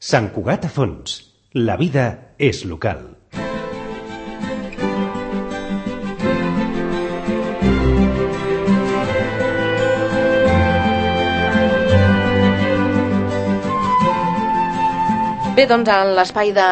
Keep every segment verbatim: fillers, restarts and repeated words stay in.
Sant Cugat a Fons. La vida és local. Bé, doncs en l'espai de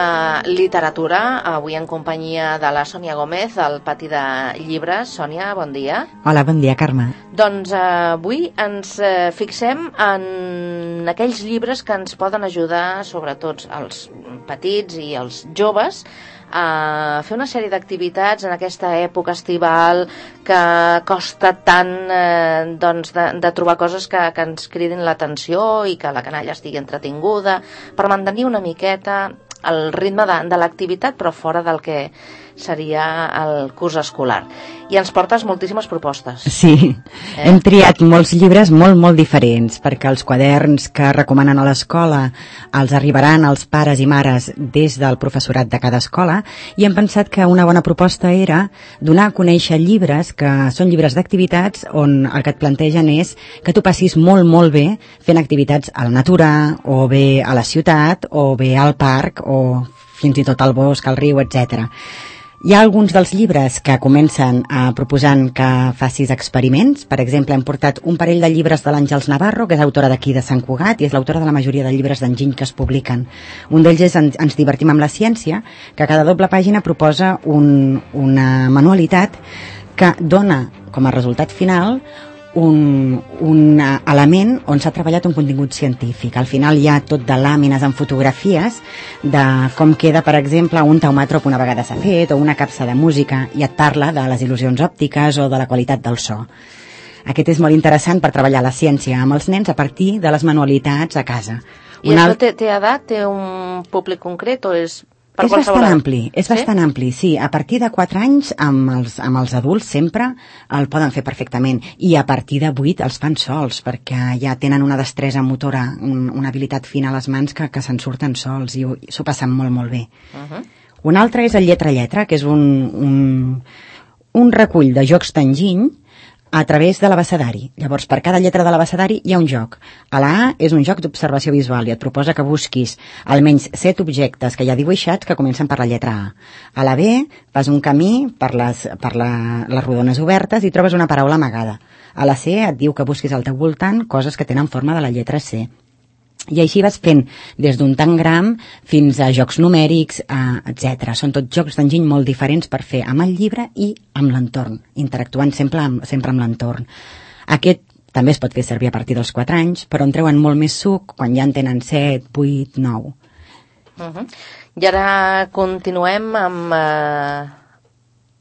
literatura, avui en companyia de la Sònia Gómez, al Pati de Llibres. Sònia, bon dia. Hola, bon dia, Carme. Doncs eh, avui ens eh, fixem en aquells llibres que ens poden ajudar, sobretot els petits i els joves, a fer una sèrie d'activitats en aquesta època estival que costa tant eh, doncs de, de trobar coses que, que ens cridin l'atenció i que la canalla estigui entretinguda, per mantenir una miqueta el ritme de, de l'activitat, però fora del que seria el curs escolar. I ens portes moltíssimes propostes. Sí, eh? Hem triat molts llibres molt, molt diferents, perquè els quaderns que recomanen a l'escola els arribaran als pares i mares des del professorat de cada escola, i hem pensat que una bona proposta era donar a conèixer llibres que són llibres d'activitats on el que et plantegen és que tu passis molt, molt bé fent activitats a la natura, o bé a la ciutat, o bé al parc, o fins i tot al bosc, al riu, etcètera. Hi ha alguns dels llibres que comencen a proposant que facis experiments. Per exemple, hem portat un parell de llibres de l'Àngels Navarro, que és autora d'aquí de Sant Cugat i és l'autora de la majoria de llibres d'enginy que es publiquen. Un d'ells és en, Ens divertim amb la ciència, que a cada doble pàgina proposa un, una manualitat que dona com a resultat final un, un element on s'ha treballat un contingut científic. Al final hi ha tot de làmines amb fotografies de com queda, per exemple, un taumàtrop una vegada s'ha fet, o una capsa de música, i et parla de les il·lusions òptiques o de la qualitat del so. Aquest és molt interessant per treballar la ciència amb els nens a partir de les manualitats a casa. I això té, té edat? Té un públic concret o és... És bastant ampli, és sí? bastant ampli, sí. A partir de quatre anys, amb els, amb els adults sempre el poden fer perfectament. I a partir de vuit els fan sols, perquè ja tenen una destresa motora, un, una habilitat fina a les mans que, que se'n surten sols i s'ho passen molt, molt bé. Uh-huh. Un altre és el Lletra-Lletra, que és un, un, un recull de jocs d'enginy a través de l'abecedari. Llavors, per cada lletra de l'abecedari hi ha un joc. A la A és un joc d'observació visual i et proposa que busquis almenys set objectes que hi ha dibuixats que comencen per la lletra A. A la B fas un camí per les, per la, les rodones obertes i trobes una paraula amagada. A la C et diu que busquis al teu voltant coses que tenen forma de la lletra C. I així vas fent des d'un tangram fins a jocs numèrics, eh, etcètera. Són tots jocs d'enginy molt diferents per fer amb el llibre i amb l'entorn, interactuant sempre amb, sempre amb l'entorn. Aquest també es pot fer servir a partir dels quatre anys, però en treuen molt més suc quan ja en tenen set, vuit, nou. Uh-huh. I ara continuem amb eh,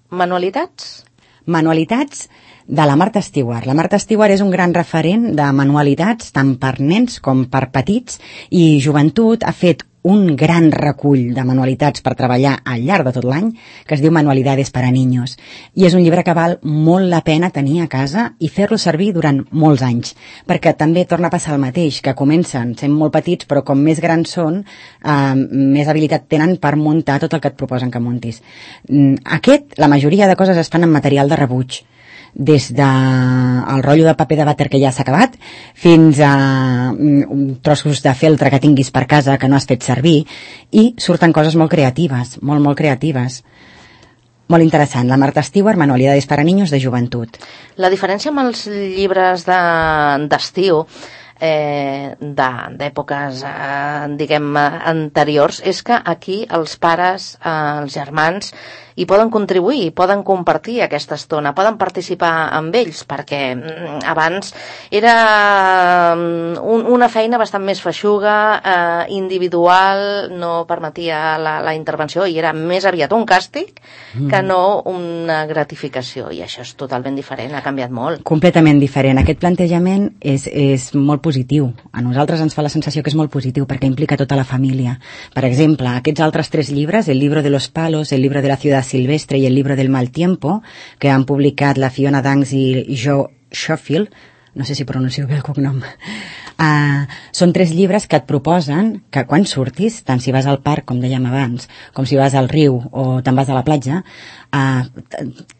manualitats? Manualitats de la Marta Stewart. La Marta Stewart és un gran referent de manualitats tant per nens com per petits, i Joventut ha fet un gran recull de manualitats per treballar al llarg de tot l'any que es diu Manualidades para Niños, i és un llibre que val molt la pena tenir a casa i fer-lo servir durant molts anys, perquè també torna a passar el mateix, que comencen sent molt petits però com més grans són eh, més habilitat tenen per muntar tot el que et proposen que muntis. Aquest, la majoria de coses es fan en material de rebuig, des del rotllo de paper de vàter que ja s'ha acabat fins a um, trossos de feltre que tinguis per casa que no has fet servir, i surten coses molt creatives, molt, molt creatives. Molt interessant. La Marta Stewart, Manualidades para Niños, de Joventut. La diferència amb els llibres de, d'estiu eh, d'èpoques eh, diguem anteriors és que aquí els pares, eh, els germans i poden contribuir, poden compartir aquesta estona, poden participar amb ells, perquè abans era un, una feina bastant més feixuga, eh, individual, no permetia la, la intervenció i era més aviat un càstig mm. que no una gratificació, i això és totalment diferent, ha canviat molt. Completament diferent. Aquest plantejament és, és molt positiu. A nosaltres ens fa la sensació que és molt positiu perquè implica tota la família. Per exemple, aquests altres tres llibres, El libro de los palos, El libro de la ciudad silvestre i El libro del mal tiempo, que han publicat la Fiona Danks i Joe Schofield, no sé si pronuncio bé el cognom, uh, són tres llibres que et proposen que quan surtis, tant si vas al parc, com dèiem abans, com si vas al riu o te'n vas a la platja, uh,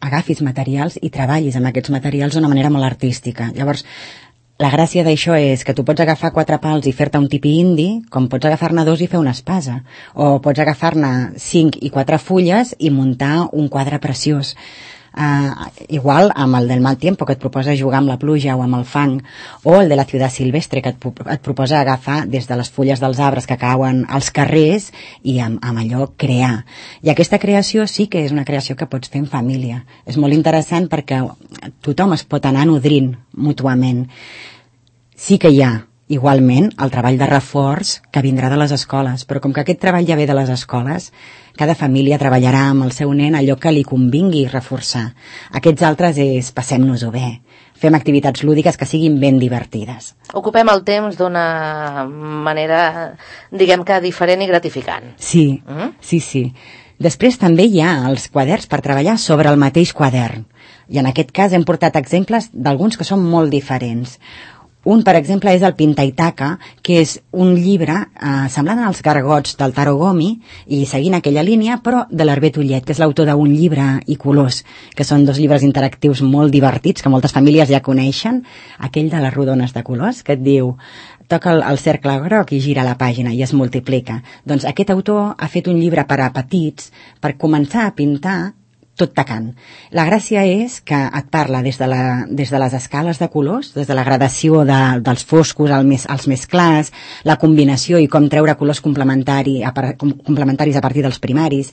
agafis materials i treballis amb aquests materials d'una manera molt artística. Llavors, la gràcia d'això és que tu pots agafar quatre pals i fer-te un tipi indi, com pots agafar-ne dos i fer una espasa, o pots agafar-ne cinc i quatre fulles i muntar un quadre preciós. Uh, igual amb el del mal tiempo, que et proposa jugar amb la pluja o amb el fang, o el de la ciutat silvestre, que et, et proposa agafar des de les fulles dels arbres que cauen als carrers i amb, amb allò crear. I aquesta creació sí que és una creació que pots fer en família. És molt interessant perquè tothom es pot anar nodrint mútuament. Sí que hi ha, igualment, el treball de reforç que vindrà de les escoles, però com que aquest treball ja ve de les escoles, cada família treballarà amb el seu nen allò que li convingui reforçar. Aquests altres és passem-nos-ho bé, fem activitats lúdiques que siguin ben divertides. Ocupem el temps d'una manera, diguem que diferent i gratificant. Sí, mm? sí, sí. Després també hi ha els quaderns per treballar sobre el mateix quadern. I en aquest cas hem portat exemples d'alguns que són molt diferents. Un, per exemple, és el Pintaitaca, que és un llibre eh, semblant als gargots del Taro Gomi i seguint aquella línia, però de l'Hervé Tullet, que és l'autor d'un llibre i colors, que són dos llibres interactius molt divertits, que moltes famílies ja coneixen, aquell de les rodones de colors, que et diu toca el, el cercle groc i gira la pàgina i es multiplica. Doncs aquest autor ha fet un llibre per a petits per començar a pintar tot tacant. La gràcia és que et parla des de, la, des de les escales de colors, des de la gradació de, dels foscos als més, als més clars, la combinació i com treure colors complementari, a, complementaris a partir dels primaris,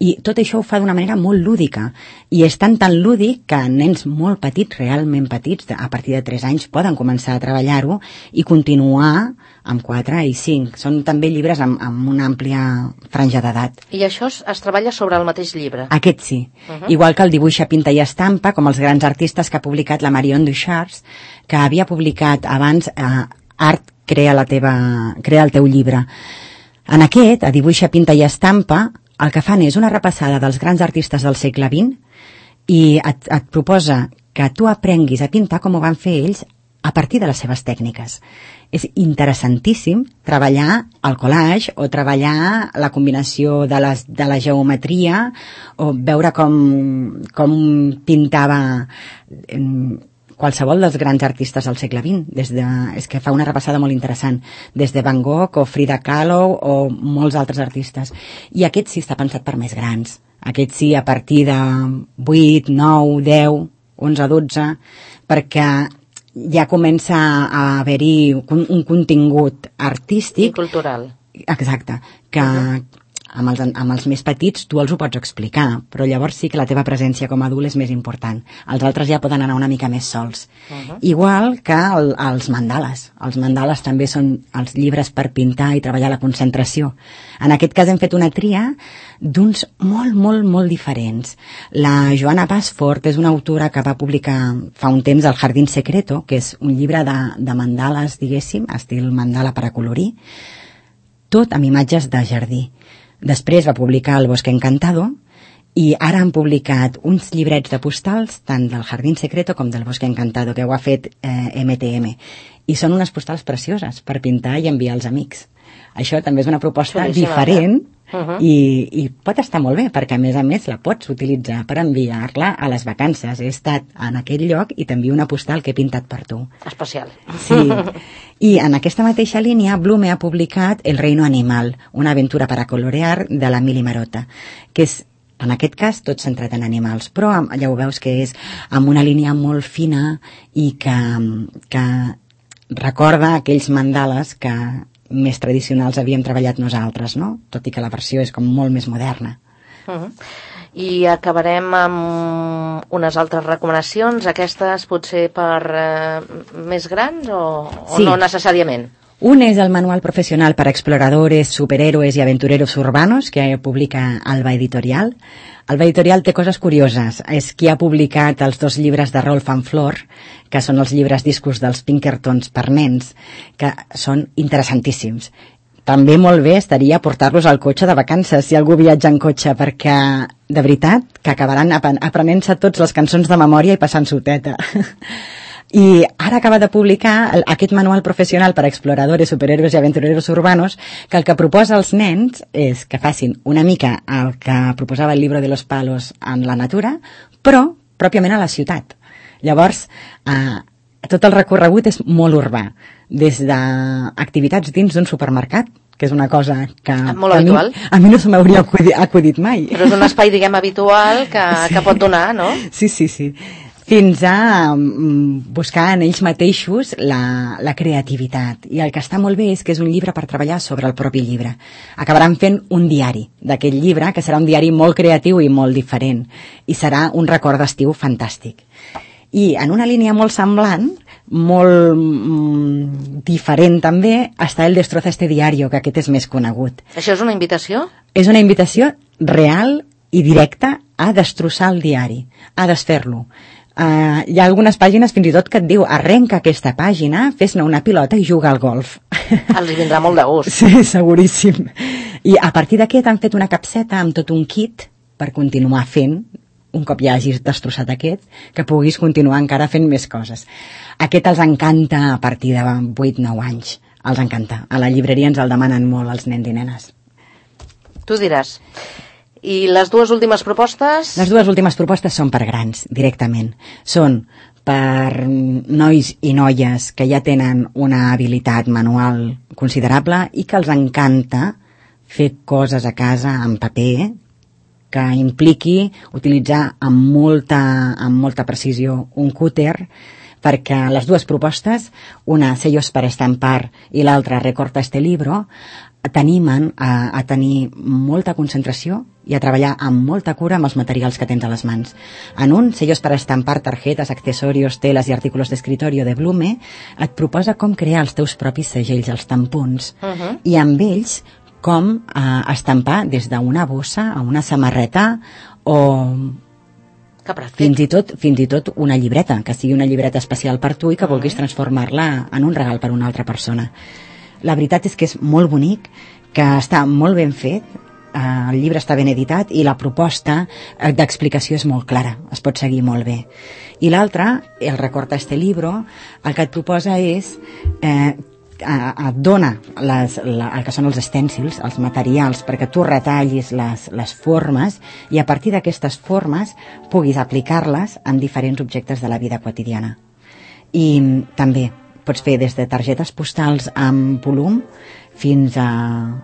i tot això ho fa d'una manera molt lúdica, i és tan tan lúdic que nens molt petits, realment petits, a partir de tres anys, poden començar a treballar-ho i continuar amb quatre i cinc. Són també llibres amb, amb una àmplia franja d'edat. I això es, es treballa sobre el mateix llibre? Aquest sí. Uh-huh. Igual que el dibuixa, pinta i estampa, com els grans artistes que ha publicat la Marion Ducharts, que havia publicat abans eh, Art crea, la teva, crea el teu llibre. En aquest, a dibuixa, pinta i estampa, el que fan és una repassada dels grans artistes del segle vint i et, et proposa que tu aprenguis a pintar com ho van fer ells a partir de les seves tècniques. És interessantíssim treballar el collage o treballar la combinació de, les, de la geometria o veure com, com pintava eh, qualsevol dels grans artistes del segle vint. Des de, és que fa una repassada molt interessant, des de Van Gogh o Frida Kahlo o molts altres artistes. I aquest sí està pensat per més grans. Aquest sí a partir de vuit, nou, deu, onze, dotze, perquè ja comença a haver-hi un, un contingut artístic. I cultural. Exacte, que uh-huh. amb, els, amb els més petits tu els ho pots explicar, però llavors sí que la teva presència com a adult és més important. Els altres ja poden anar una mica més sols. Uh-huh. Igual que el, els mandales. Els mandales també són els llibres per pintar i treballar la concentració. En aquest cas hem fet una tria d'uns molt, molt, molt diferents. La Joana Basford és una autora que va publicar fa un temps El Jardín Secreto, que és un llibre de, de mandales, diguéssim, estil mandala per a colorir, tot amb imatges de jardí. Després va publicar El Bosque Encantado i ara han publicat uns llibrets de postals tant del Jardín Secreto com del Bosque Encantado, que ho ha fet eh, eme te eme. I són unes postals precioses per pintar i enviar als amics. Això també és una proposta Xulíssima, diferent uh-huh. i, i pot estar molt bé, perquè a més a més la pots utilitzar per enviar-la a les vacances. He estat en aquell lloc i t'envio una postal que he pintat per tu. Especial. Sí. I en aquesta mateixa línia, Blume ha publicat El reino animal, una aventura para colorear de la Mili Marota, que és, en aquest cas, tot centrat en animals, però ja ho veus que és amb una línia molt fina i que, que recorda aquells mandales que més tradicionals havíem treballat nosaltres, no? Tot i que la versió és com molt més moderna. Uh-huh. I acabarem amb unes altres recomanacions, aquestes potser per eh, més grans o, o sí. no necessàriament? Un és el Manual Profesional para Exploradores, Superhéroes y Aventureros Urbanos, que publica Alba Editorial. Alba Editorial té coses curioses. És qui ha publicat els dos llibres de Rolf and Flor, que són els llibres discos dels Pinkertons per nens, que són interessantíssims. També molt bé estaria portar-los al cotxe de vacances, si algú viatja en cotxe, perquè, de veritat, que acabaran aprenent-se tots les cançons de memòria i passant-s'ho teta. I ara acaba de publicar aquest manual professional per a exploradores, superhéroes i aventureros urbanos, que el que proposa als nens és que facin una mica el que proposava el Libro de los Palos en la natura, però pròpiament a la ciutat. Llavors, eh, tot el recorregut és molt urbà, des d'activitats dins d'un supermercat, que és una cosa que, molt que a, mi, habitual. a mi no se m'hauria acudit, acudit mai. Però és un espai, diguem, habitual que, sí. que pot donar, no? Sí, sí, sí. Fins a um, buscar en ells mateixos la, la creativitat. I el que està molt bé és que és un llibre per treballar sobre el propi llibre. Acabaran fent un diari d'aquest llibre, que serà un diari molt creatiu i molt diferent. I serà un record d'estiu fantàstic. I en una línia molt semblant, molt mm, diferent també, està el Destroza este diario, que aquest és més conegut. Això és una invitació? És una invitació real i directa a destrossar el diari, a desfer-lo. Uh, hi ha algunes pàgines fins i tot que et diu arrenca aquesta pàgina, fes-ne una pilota i juga al golf. Els vindrà molt de gust. Sí, seguríssim. I a partir d'aquest han fet una capseta amb tot un kit per continuar fent, un cop ja hagis destrossat aquest, que puguis continuar encara fent més coses. Aquest els encanta a partir de vuit nou anys. Els encanta. A la llibreria ens el demanen molt els nens i nenes. Tu diràs. I les dues últimes propostes? Les dues últimes propostes són per grans, directament. Són per nois i noies que ja tenen una habilitat manual considerable i que els encanta fer coses a casa en paper, que impliqui utilitzar amb molta, amb molta precisió un cúter, perquè les dues propostes, una Sellos para estampar i l'altra Recorta este libro, t'animen a, a tenir molta concentració i a treballar amb molta cura amb els materials que tens a les mans. En un, Sellos para estampar, tarjetes, accesorios, teles i artículos de escritorio de Blume, et proposa com crear els teus propis segells, els tampons, uh-huh. i amb ells com eh, estampar des d'una bossa a una samarreta o fins i tot fins i tot una llibreta, que sigui una llibreta especial per tu i que vulguis transformar-la en un regal per a una altra persona. La veritat és que és molt bonic, que està molt ben fet, eh, el llibre està ben editat i la proposta eh, d'explicació és molt clara, es pot seguir molt bé. I l'altra, el Recorta este libro, el que et proposa és eh, et dona les, la, el que són els estèncils, els materials, perquè tu retallis les, les formes i a partir d'aquestes formes puguis aplicar-les en diferents objectes de la vida quotidiana. I també pots fer des de targetes postals amb volum fins a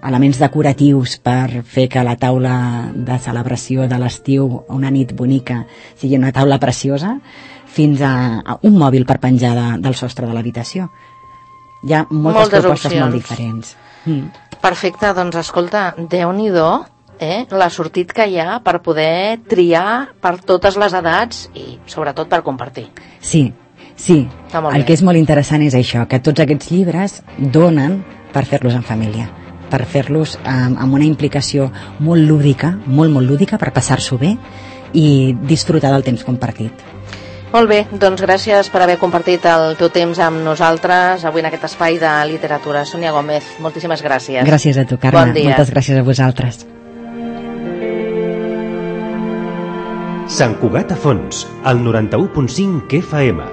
elements decoratius per fer que la taula de celebració de l'estiu, una nit bonica, sigui una taula preciosa, fins a, a un mòbil per penjar de, del sostre de l'habitació. Hi ha moltes, moltes propostes opcions. Molt diferents. Mm. Perfecte, doncs escolta, Déu-n'hi-do, eh, la sortit que hi ha per poder triar per totes les edats i sobretot per compartir. Sí, sí. El que és molt interessant és això, que tots aquests llibres donen per fer-los en família, per fer-los eh, amb una implicació molt lúdica, molt, molt lúdica, per passar-s'ho bé i disfrutar del temps compartit. Molt bé, doncs gràcies per haver compartit el teu temps amb nosaltres avui en aquest espai de literatura. Sònia Gómez, moltíssimes gràcies. Gràcies a tu, Carme. Bon dia. Moltes gràcies a vosaltres. Sant Cugat a Fons, al noranta-u punt cinc F M.